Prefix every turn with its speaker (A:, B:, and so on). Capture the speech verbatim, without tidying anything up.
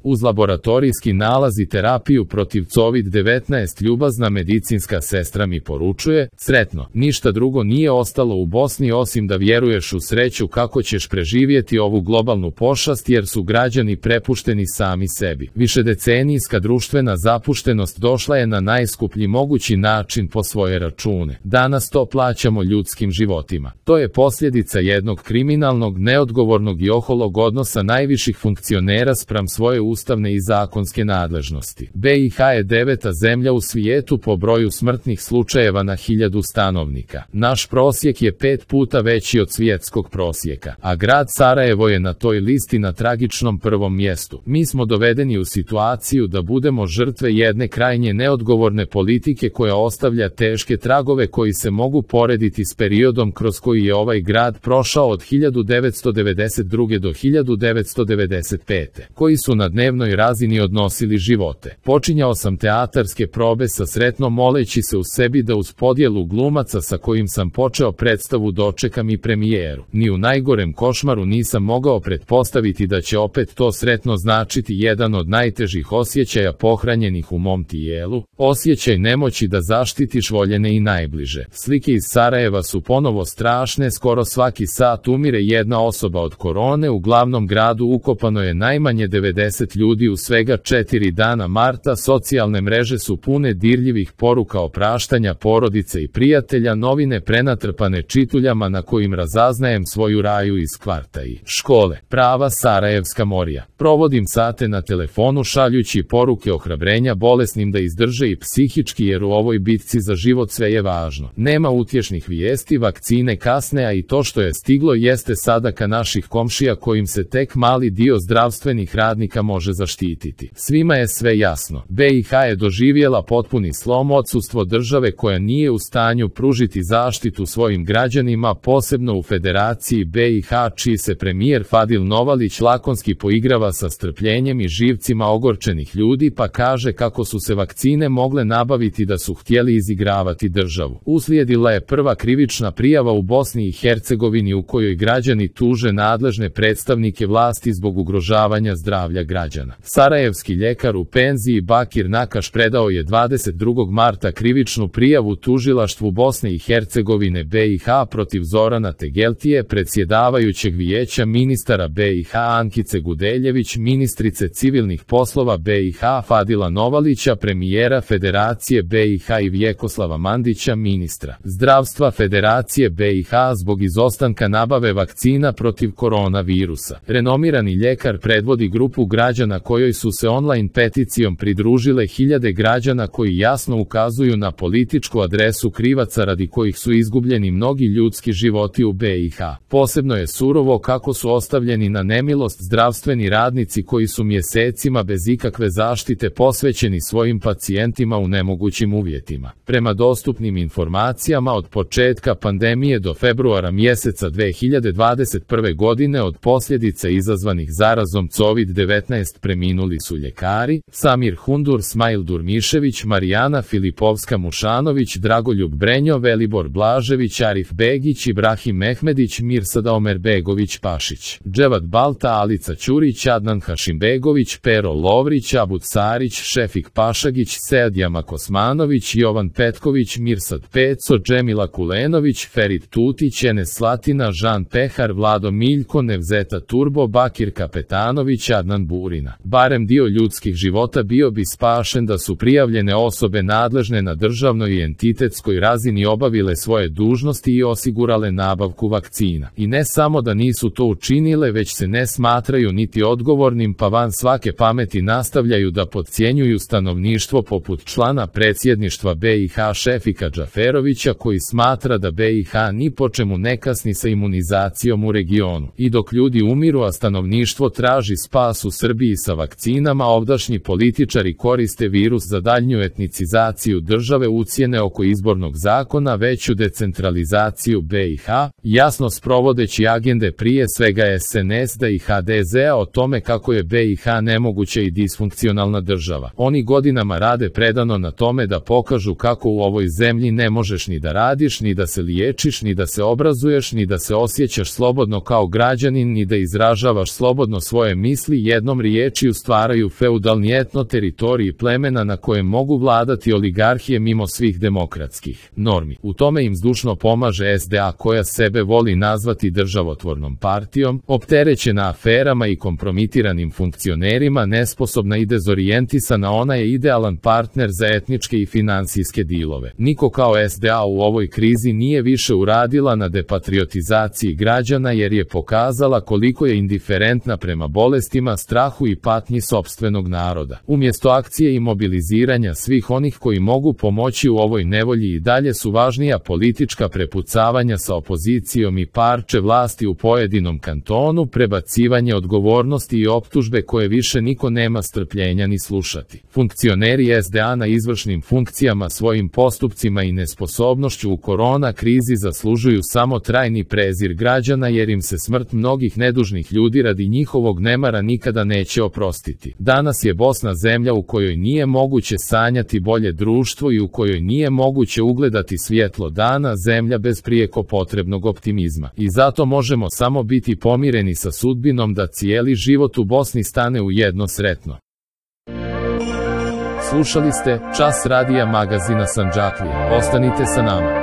A: Uz laboratorijski nalaz i terapiju protiv kovid devetnaest ljubazna medicinska sestra mi poručuje, sretno, ništa drugo nije ostalo u Bosni osim da vjeruješ u sreću kako ćeš preživjeti ovu globalnu pošast jer su građani prepušteni sami sebi. Višedecenijska društvena zapuštenost došla je na najskuplji mogući način po svoje račune. Danas to plaćamo ljudskim životima. To je posljedica jednog kriminalnog, neodgovornog i oholog odnosa najviših funkcionera spram svoje ustavne i zakonske nadležnosti. B i H je deveta zemlja u svijetu po broju smrtnih slučajeva na hiljadu stanovnika. Naš prosjek je pet puta veći od svjetskog prosjeka, a grad Sarajevo je na toj listi na tragičnom prvom mjestu. Mi smo dovedeni u situaciju da budemo žrtve jedne krajnje neodgovorne politike koja ostavlja teške tragove koji se mogu porediti s periodom kroz koji je ovaj grad prošao od hiljadu devetsto devedeset druge do hiljadu devetsto devedeset pete, koji su na dnevnoj razini odnosili živote. Počinjao sam teatarske probe sa sretno moleći se u sebi da uz podjelu glumaca sa kojim sam počeo predstavu dočekam i premijeru. Ni u najgorem košmaru nisam mogao pretpostaviti da će opet to sretno značiti jedan od najtežih osjećaja pohranjenih u mom tijelu, osjećaj nemoći da zaštitiš voljene i najbliže. Slike iz Sarajeva su ponovo strašne, skoro svaki sat umire jedna osoba od korone, u glavnom gradu ukopano je najmanje devedeset ljudi u svega četiri dana marta, socijalne mreže su pune dirljivih poruka opraštanja porodice i prijatelja, novine prenatrpane čituljama na kojim razaznajem svoju raju iz kvarta i škole. Prava sarajevska morija. Provodim sate na telefonu šaljući poruke ohrabrenja bolesnim da izdrže i psihički jer u ovoj bitci za život sve je važno. Nema utješnih vijesti, vakcine kasne, a i to što je stiglo jeste sadaka naših komšija kojim se tek mali dio zdravstvenih radnika može zaštititi. Svima je sve jasno. B i H je doživjela potpuni slom, odsustvo države koja nije u stanju pružiti zaštitu svojim građanima, posebno u Federaciji B i H, čiji se premijer Fadil Novalić lakonski poigrava sa strpljenjem i živcima ogorčenih ljudi pa kaže kako su se vakcine mogle nabaviti da su htjeli izigravati državu. Uslijedila je prva krivična prijava u Bosni i Hercegovini u kojoj građani tuže nadležne predstavnike vlasti zbog ugrožavanja zdravlja građana. Sarajevski ljekar u penziji Bakir Nakaš predao je dvadeset drugog marta krivičnu prijavu tužilaštvu Bosne i Hercegovine B i H protiv Zorana Tegeltije, predsjedavajućeg vijeća ministara B i H Ankice Gudeljević, ministrice civilnih poslova B i H Fadila Novalića, premijera Federacije B i H i Vjekoslava Mandića, ministra zdravstva Federacije B i H zbog izostanka nabave vakcina protiv koronavirusa. Renomirani ljekar predvodi grupu građana kojoj su se online peticijom pridružile hiljade građana koji jasno ukazuju na političku adresu krivaca radi kojih su izgubljeni mnogi ljudski životi u B i H. Posebno je surovo kako su ostavljeni na nemilost zdravstveni radnici koji su mjesecima bez ikakve zaštite posvećeni svojim pacijentima u nemogućim uvjetima. Prema dostupnim informacijama od početka pandemije do februara mjeseca dve hiljade dvadeset prve godine od posljedica izazvanih zarazom kovid devetnaest preminuli su ljekari Samir Hundur, Smail Durmišević, Marijana Filipovska-Mušanović, Dragoljub Brenjo, Velibor Blažević, Arif Begić, Ibrahim Mehmedić, Mirsada Omerbegović Pašić, Dževat Balta, Alica Ćurić, Adnan Hašimbegović, Pero Lovrić, Abud Sarić, Šefik Pašagić, Seadjama Kosmanović, Jovan Petković, Mirsad Peco, Džemila Kulenović, Ferit Tutić, Enes Slatina, Žan Pehar, Vlado Miljko, Nevzeta Turbo, Bakir Kapetanović, Adnan Burina. Barem dio ljudskih života bio bi spašen da su prijavljene osobe nadležne na državnoj i entitetskoj razini obavile svoje dužnosti i osigurale nabavku vakcina. I ne samo da nisu to učinile, već se ne smatraju niti odgovornim pa van svake pameti nastavljaju da podcjenjuju stanovništvo poput člana predsjedništva B i H Šefika Džaferovića koji smatra da B i H ni po čemu ne kasni sa imunizacijom u regionu. I dok ljudi umiru, a stanovništvo traži spas u Srbiji sa vakcinama, ovdašnji političari koriste virus za daljnju etnicizaciju države, ucjene oko izbornog zakona, veću decentralizaciju B i H, jasno sprovodeći agende prije svega S N S D i H D Z-a o tome kako je B i H nemoguća i disfunkcionalna država. Oni godinama rade predano na tome da pokažu kako u ovoj zemlji ne možeš ni da radiš, ni da se liječiš, ni da se obrazuješ, ni da se osjećaš slobodno kao građanin, ni da izražavaš slobodno svoje misli, jednom riječju riječiju stvaraju feudalni etno-teritoriji plemena na kojem mogu vladati oligarhije mimo svih demokratskih normi. U tome im zdušno pomaže es de a koja sebe voli nazvati državotvornom partijom, opterećena aferama i kompromitiranim funkcionerima, nesposobna i dezorijentisana, ona je idealan partner za etničke i finansijske dilove. Niko kao es de a u ovoj krizi nije više uradila na depatriotizaciji građana jer je pokazala koliko je indiferentna prema bolestima, strahu i patnji sopstvenog naroda. Umjesto akcije i mobiliziranja svih onih koji mogu pomoći u ovoj nevolji i dalje su važnija politička prepucavanja sa opozicijom i parče vlasti u pojedinom kantonu, prebacivanje odgovornosti i optužbe koje više niko nema strpljenja ni slušati. Funkcioneri es de a na izvršnim funkcijama svojim postupcima i nesposobnošću u korona krizi zaslužuju samo trajni prezir građana jer im se smrt mnogih nedužnih ljudi radi njihovog nemara nikada neće oprostiti. Danas je Bosna zemlja u kojoj nije moguće sanjati bolje društvo i u kojoj nije moguće ugledati svjetlo dana, zemlja bez prijeko potrebnog optimizma. I zato možemo samo biti pomireni sa sudbinom da cijeli život u Bosni stane u jedno sretno. Slušali ste Čas radija magazina Sandžaklije. Ostanite sa nama.